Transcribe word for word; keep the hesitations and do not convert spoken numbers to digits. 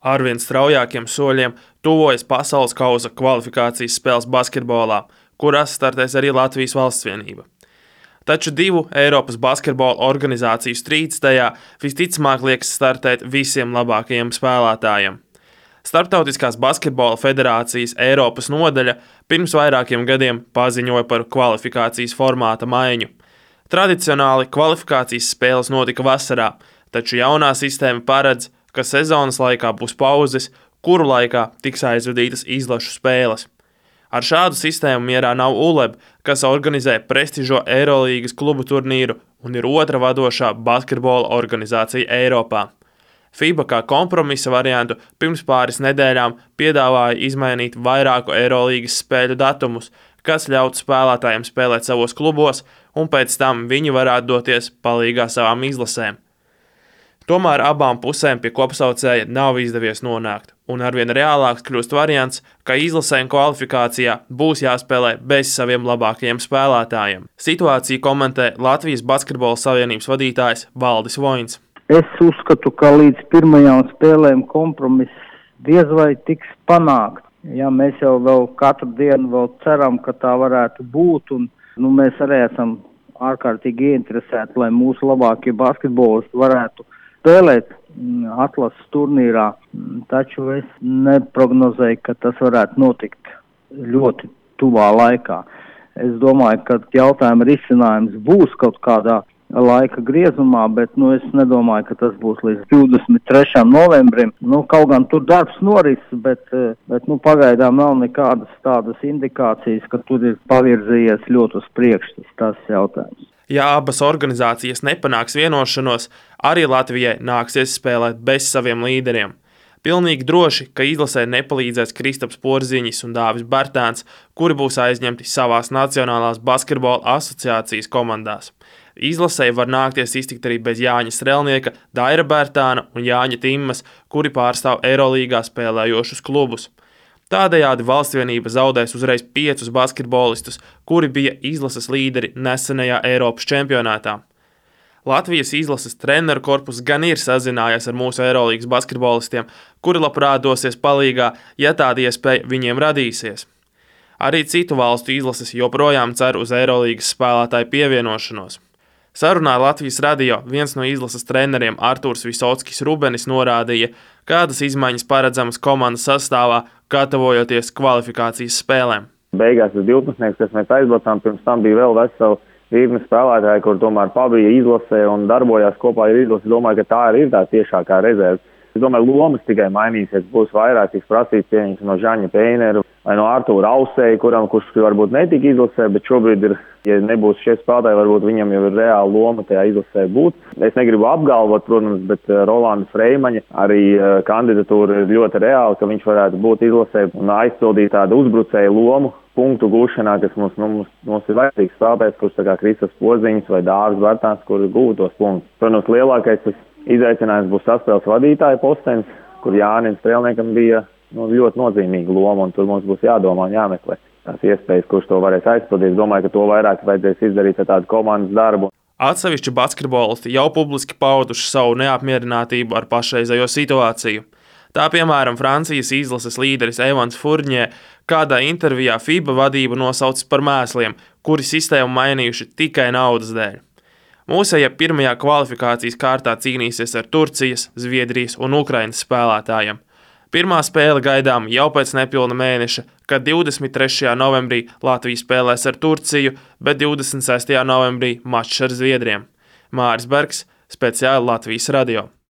Arvien straujākiem soļiem tuvojas pasaules kausa kvalifikācijas spēles basketbolā, kurās startēs arī Latvijas Valstsvienība. Taču divu Eiropas basketbola organizāciju strīds tajā visticamāk liekas startēt visiem labākajiem spēlētājiem. Starptautiskās basketbola federācijas Eiropas nodaļa pirms vairākiem gadiem paziņoja par kvalifikācijas formāta maiņu. Tradicionāli kvalifikācijas spēles notika vasarā, taču jaunā sistēma paredz, ka sezonas laikā būs pauzes, kuru laikā tiks aizvadītas izlašu spēles. Ar šādu sistēmu mierā nav U L E B, kas organizē prestižo Eirolīgas klubu turnīru un ir otra vadošā basketbola organizācija Eiropā. FIBA kā kompromisa variantu pirms pāris nedēļām piedāvāja izmainīt vairāku Eirolīgas spēļu datumus, kas ļautu spēlētājiem spēlēt savos klubos, un pēc tam viņi varētu doties palīgā savām izlasēm. Tomēr abām pusēm pie kopsaucēja nav izdevies nonākt, un arvien reālāks kļūst variants, ka izlasēm kvalifikācijā būs jāspēlē bez saviem labākajiem spēlētājiem. Situāciju komentē Latvijas Basketbola savienības vadītājs Valdis Voins. Es uzskatu, ka līdz pirmajām spēlēm kompromiss diez vai tiks panākt. Ja, mēs jau vēl katru dienu vēl ceram, ka tā varētu būt, un nu, mēs arī esam ārkārtīgi ieinteresēti, lai mūsu labākie basketbolisti varētu spēlēt atlases turnīrā, taču es neprognozēju, ka tas varētu notikt ļoti tuvā laikā. Es domāju, ka jautājuma risinājums būs kaut kādā laika griezumā, bet nu, es nedomāju, ka tas būs līdz divdesmit trešajam novembrim. Nu, kaut gan tur darbs noris, bet, bet nu, pagaidām nav nekādas tādas indikācijas, ka tur ir pavirzījies ļoti uz priekšu tas jautājums. Ja abas organizācijas nepanāks vienošanos, arī Latvijai nāksies spēlēt bez saviem līderiem. Pilnīgi droši, ka izlasē nepalīdzēs Kristaps Porziņš un Dāvis Bērtāns, kuri būs aizņemti savās Nacionālās basketbola asociācijas komandās. Izlasē var nākties iztikt arī bez Jāņa Strelnieka, Daira Bērtāna un Jāņa Timmas, kuri pārstāv Eirolīgā spēlējošus klubus. Tādējādi Valstsvienība zaudēs uzreiz piecus basketbolistus, kuri bija izlases līderi nesenajā Eiropas čempionātā. Latvijas izlases treneru korpus gan ir sazinājies ar mūsu Eirolīgas basketbolistiem, kuri labprāt dosies palīgā, ja tāda iespēja viņiem radīsies. Arī citu valstu izlases joprojām cer uz Eirolīgas spēlētāju pievienošanos. Sarunā Latvijas radio viens no izlases treneriem Artūrs Visockis Rubenis norādīja, kādas izmaiņas paredzamas komandas sastāvā, gatavojoties kvalifikācijas spēlēm. Beigās tas divpadsmitnieks, kas mēs aizbraucām, pirms tam bija vēl vesela virkne spēlētāji, kur tomēr pabija izlasē un darbojās kopā ar izlasi. Domāju, ka tā ir tā tiešākā rezerve. Es domāju, lomas tikai mainīsies, būs vairāk tiks prasīts pieņems no Žaņa Peineru vai no Artūra Ausēja, kuram, kurš varbūt netika izlasē, bet šobrīd ir, ja nebūs šie spēlētāji, varbūt viņam jau ir reāla loma tajā izlasē būt. Es negribu apgalvot, protams, bet Rolanda Freimaņa arī kandidatūra ir ļoti reāla, ka viņš varētu būt izlasē un aizpildīt tādu uzbrucēju lomu punktu gūšanā, kas mums, nu, mums, mums ir vajadzīgs spēlētājs, kurš tā kā Kristaps Porziņš vai Dāvis Bērtāns, kuri gūtos punktus. Protams, lielākais izaicinājums būs saspēles vadītāja postenis, kur Jānim Strelniekam bija nu, ļoti nozīmīga loma, un tur mums būs jādomā un jāmeklē tās iespējas, kurš to varēs aizpildīt. Es domāju, ka to vairāk vajadzēs izdarīt ar tādu komandas darbu. Atsevišķi basketbolisti jau publiski pauduši savu neapmierinātību ar pašreizējo situāciju. Tā piemēram Francijas izlases līderis Evans Furnjē kādā intervijā FIBA vadību nosaucis par mēsliem, kuri sistēmu mainījuši tikai naudas dēļ. Mūsējie pirmajā kvalifikācijas kārtā cīnīsies ar Turcijas, Zviedrijas un Ukrainas spēlētājiem. Pirmā spēle gaidām jau pēc nepilna mēneša, kad divdesmit trešajā novembrī Latvija spēlēs ar Turciju, bet divdesmit sestajā novembrī mačs ar Zviedriem. Māris Bergs, speciāli Latvijas radio.